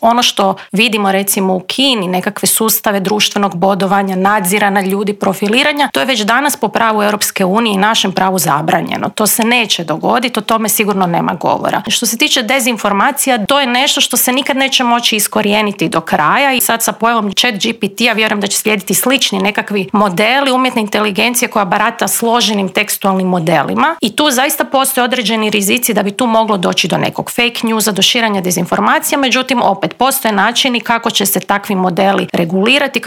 Ono što vidimo recimo u Kini, nekakve sustave društvenog bodovanja, nadzirana ljudi, profiliranja, to je već danas po pravu Europske unije i našem pravu zabranjeno. To se neće dogoditi, o tome sigurno nema govora. Što se tiče dezinformacija, to je nešto što se nikad neće moći iskorijeniti do kraja i sad sa pojavom ChatGPT-a vjerujem da će slijediti slični nekakvi modeli umjetne inteligencije koja barata složenim tekstualnim modelima i tu zaista postoje određeni rizici da bi tu moglo doći do nekog fake newsa, do širenja dezinformacija, međutim opet postoje načini kako će se takvi modeli regulirati,